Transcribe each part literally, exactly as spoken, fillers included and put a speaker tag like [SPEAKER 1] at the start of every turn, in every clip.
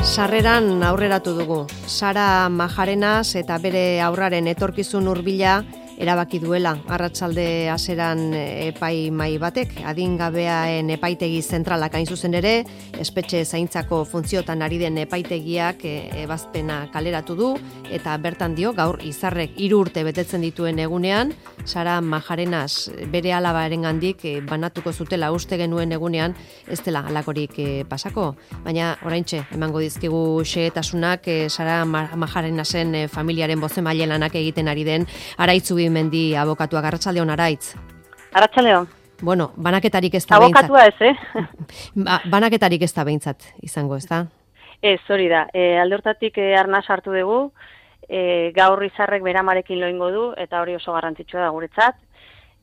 [SPEAKER 1] Sarreran aurreratu dugu. Sara Majarenas eta bere haurraren etorkizun hurbila erabaki duela. Arratsalde haseran epaimahai batek, adingabeaen epaitegi zentralak hain zuzen ere, espetxe zaintzako funtziotan ari den epaitegiak ebazpena kaleratu du, eta bertan dio, gaur Izarrek hiru urte betetzen dituen egunean, Sara Majarenas bere alabarengandik banatuko zutela uste genuen egunean, ez dela halakorik pasako. Baina oraintxe emango dizkigu xehetasunak Sara Majarenasen familiaren bozemaile lanak egiten ari den Araitz Mendi abokatuak. Arratsaldeon, Araitz.
[SPEAKER 2] Arratsaldeon.
[SPEAKER 1] Bueno, banaketarik ez da behintzat.
[SPEAKER 2] Abokatua ez, eh?
[SPEAKER 1] ba, banaketarik ez da behintzat izango, ez da?
[SPEAKER 2] Ez, hori da. E, alde hortatik e, arnaz hartu dugu, e, gaur Izarrek beramarekin loingo du, eta hori oso garrantzitsua da guretzat.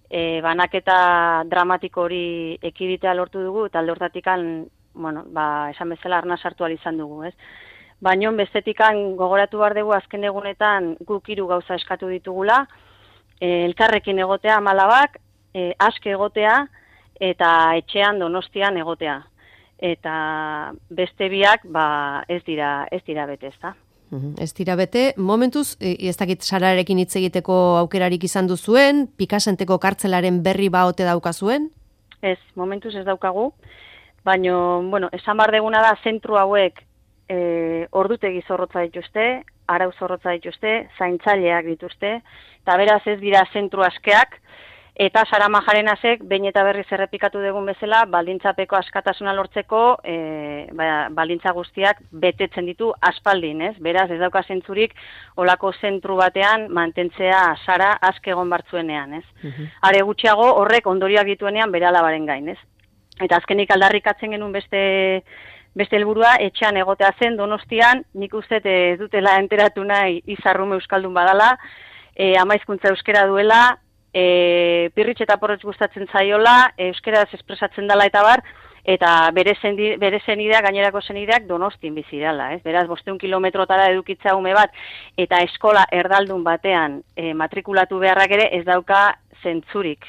[SPEAKER 2] E, banaketa dramatiko hori ekiditea lortu dugu, eta alde hortatikan, bueno, ba, esan bezala arnaz hartu izan dugu, ez? Baina bestetikan gogoratu behar dugu azken egunetan guk hiru gauza eskatu ditugula, E, elkarrekin egotea amalabak, e, aske egotea eta etxean Donostian egotea. Eta beste biak ba, ez dira ez dira bete, ezta?
[SPEAKER 1] Uhum, ez dira bete. Momentuz, ez dakit Sararekin hitz egiteko aukerarik izan duzuen, Pikasenteko kartzelaren berri ba ote daukazuen?
[SPEAKER 2] Ez, momentuz ez daukagu. Baina, bueno, esan bar deguna da zentru hauek e, ordutegi zorrotza dituzte, arau zorrotza dituzte, zaintzaileak dituzte, eta beraz ez dira zentru askeak, eta Sara Majarenasek behin eta berriz errepikatu dugun bezala, baldintzapeko askatasuna lortzeko, e, ba, baldintza guztiak betetzen ditu aspaldin, ez? Beraz ez dauka zentzurik olako zentru batean mantentzea Sara aske egon bartzuenean, ez? Uh-huh. Are gutxiago horrek ondorioak dituenean bere alabaren gain, ez? Eta azkenik aldarrikatzen genuen beste Beste helburua etxean egotea zen Donostian, nik uste ez dutela enteratu nahi Izarrume euskaldun badala, e, ama hizkuntza euskera duela, e, pirritx eta porrotx gustatzen zaiola, euskaraz espresatzen dela eta bar, eta bere, zendi, bere zenideak, gainerako zenideak Donostin bizi dela, ez? Beraz, bostehun kilometrotara edukitza ume bat, eta eskola erdaldun batean e, matrikulatu beharrak ere ez dauka zentzurik.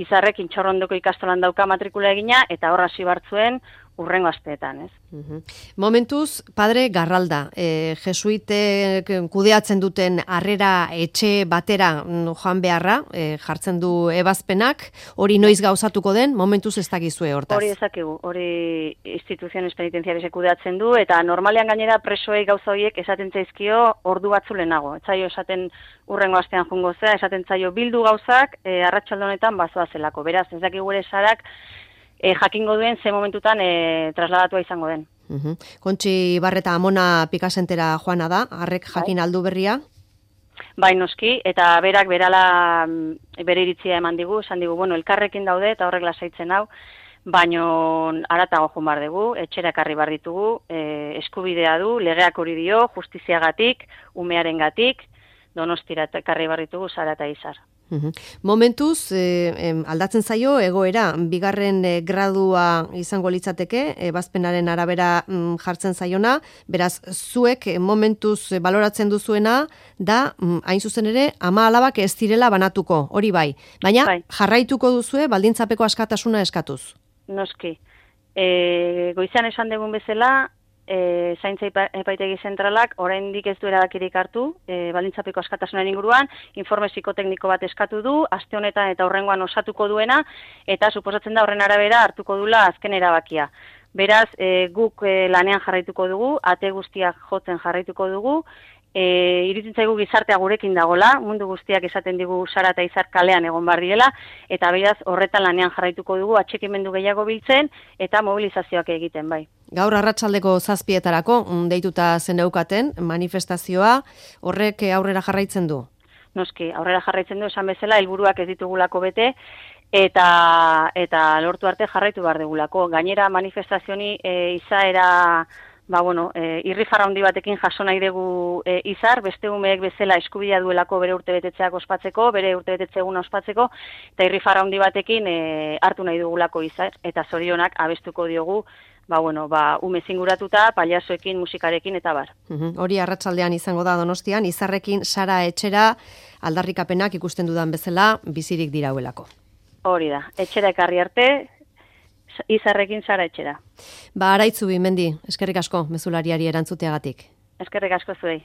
[SPEAKER 2] Izarrek Intxorrondoko ikastolan dauka matrikula egina, eta horra hasi bartzuen, urrengo asteetan, ez?
[SPEAKER 1] Uhum. Momentuz, Padre Garralda, e, jesuitek kudeatzen duten harrera etxe batera joan beharra, e, jartzen du ebazpenak, hori noiz gauzatuko den, momentuz ez dakizue hortaz.
[SPEAKER 2] Hori ezakigu, hori instituziones penitenziarisek kudeatzen du, eta normalean gainera presoei gauza horiek esaten zaizkio ordu batzu lehenago. Ez zaio esaten urrengo astean jungo zea, esaten zaio bildu gauzak, e, arratsalde honetan bazoa zelako. Beraz, ez dakigu ere Sarak, E, jakingo duen ze momentutan e, trasladatua izango den.
[SPEAKER 1] Uhum. Kontxi Barreta Amona Pikasentera joana da, harrek jakin bai. Aldu berria?
[SPEAKER 2] Bai, noski, eta berak berala bere iritzia eman digu, esan digu, bueno, elkarrekin daude eta horrek lasaitzen hau, baino haratago joan bar dugu, etxera ekarri bar ditugu, e, eskubidea du, legeak hori dio, justiziagatik, umearengatik, Donostira ekarri bar ditugu Sara eta Izar.
[SPEAKER 1] Uhum. Momentuz, eh, aldatzen zaio, egoera, bigarren eh, gradua izango litzateke, ebazpenaren arabera mm, jartzen zaiona, beraz, zuek eh, momentuz eh, baloratzen duzuena, da, mm, hain zuzen ere, ama alabak ez direla banatuko, hori bai. Baina, bai. Jarraituko duzue, baldintzapeko askatasuna eskatuz.
[SPEAKER 2] Noski. E, goizan esan dugun bezala, E, zaintza epaitegi zentralak oraindik ez du erabakirik hartu, e, baldintzapeko askatasunaren inguruan, informe psikotekniko bat eskatu du, aste honetan eta hurrengoan osatuko duena, eta suposatzen da horren arabera hartuko dula azken erabakia. Beraz, e, guk e, lanean jarraituko dugu, ate guztiak jotzen jarraituko dugu, E, iruditzen zaigu gizartea gurekin dagola, mundu guztiak esaten digu Sara eta Izar kalean egon bar direla, eta beraz horretan lanean jarraituko dugu, atxikimendu gehiago biltzen eta mobilizazioak egiten, bai.
[SPEAKER 1] Gaur arratsaldeko zazpietarako deituta zeneukaten manifestazioa, horrek aurrera jarraitzen du?
[SPEAKER 2] Noski, aurrera jarraitzen du, esan bezala, helburuak ez ditugulako bete, eta eta lortu arte jarraitu behar dugulako. Gainera manifestazioni e, izaera... Ba, bueno, e, irrifarra handi batekin jaso nahi dugu e, Izar, beste umeek bezala eskubidea duelako bere urtebetetzeak ospatzeko, bere urtebetetze eguna ospatzeko, eta irrifarra handi batekin e, hartu nahi dugulako Izar, eta zorionak abestuko diogu, ba, bueno, ba, ume zinguratuta, paliazoekin, musikarekin, eta bar.
[SPEAKER 1] Uhum. Hori arratsaldean izango da Donostian, Izarrekin Sara etxera aldarrikapenak ikusten dudan bezala bizirik dirauelako.
[SPEAKER 2] Hori da, etxera ekarri arte, izarrekin Sara Etxera.
[SPEAKER 1] Ba, Araitzu Bimendi, eskerrik asko mezulariari erantzuteagatik.
[SPEAKER 2] Eskerrik asko zuei.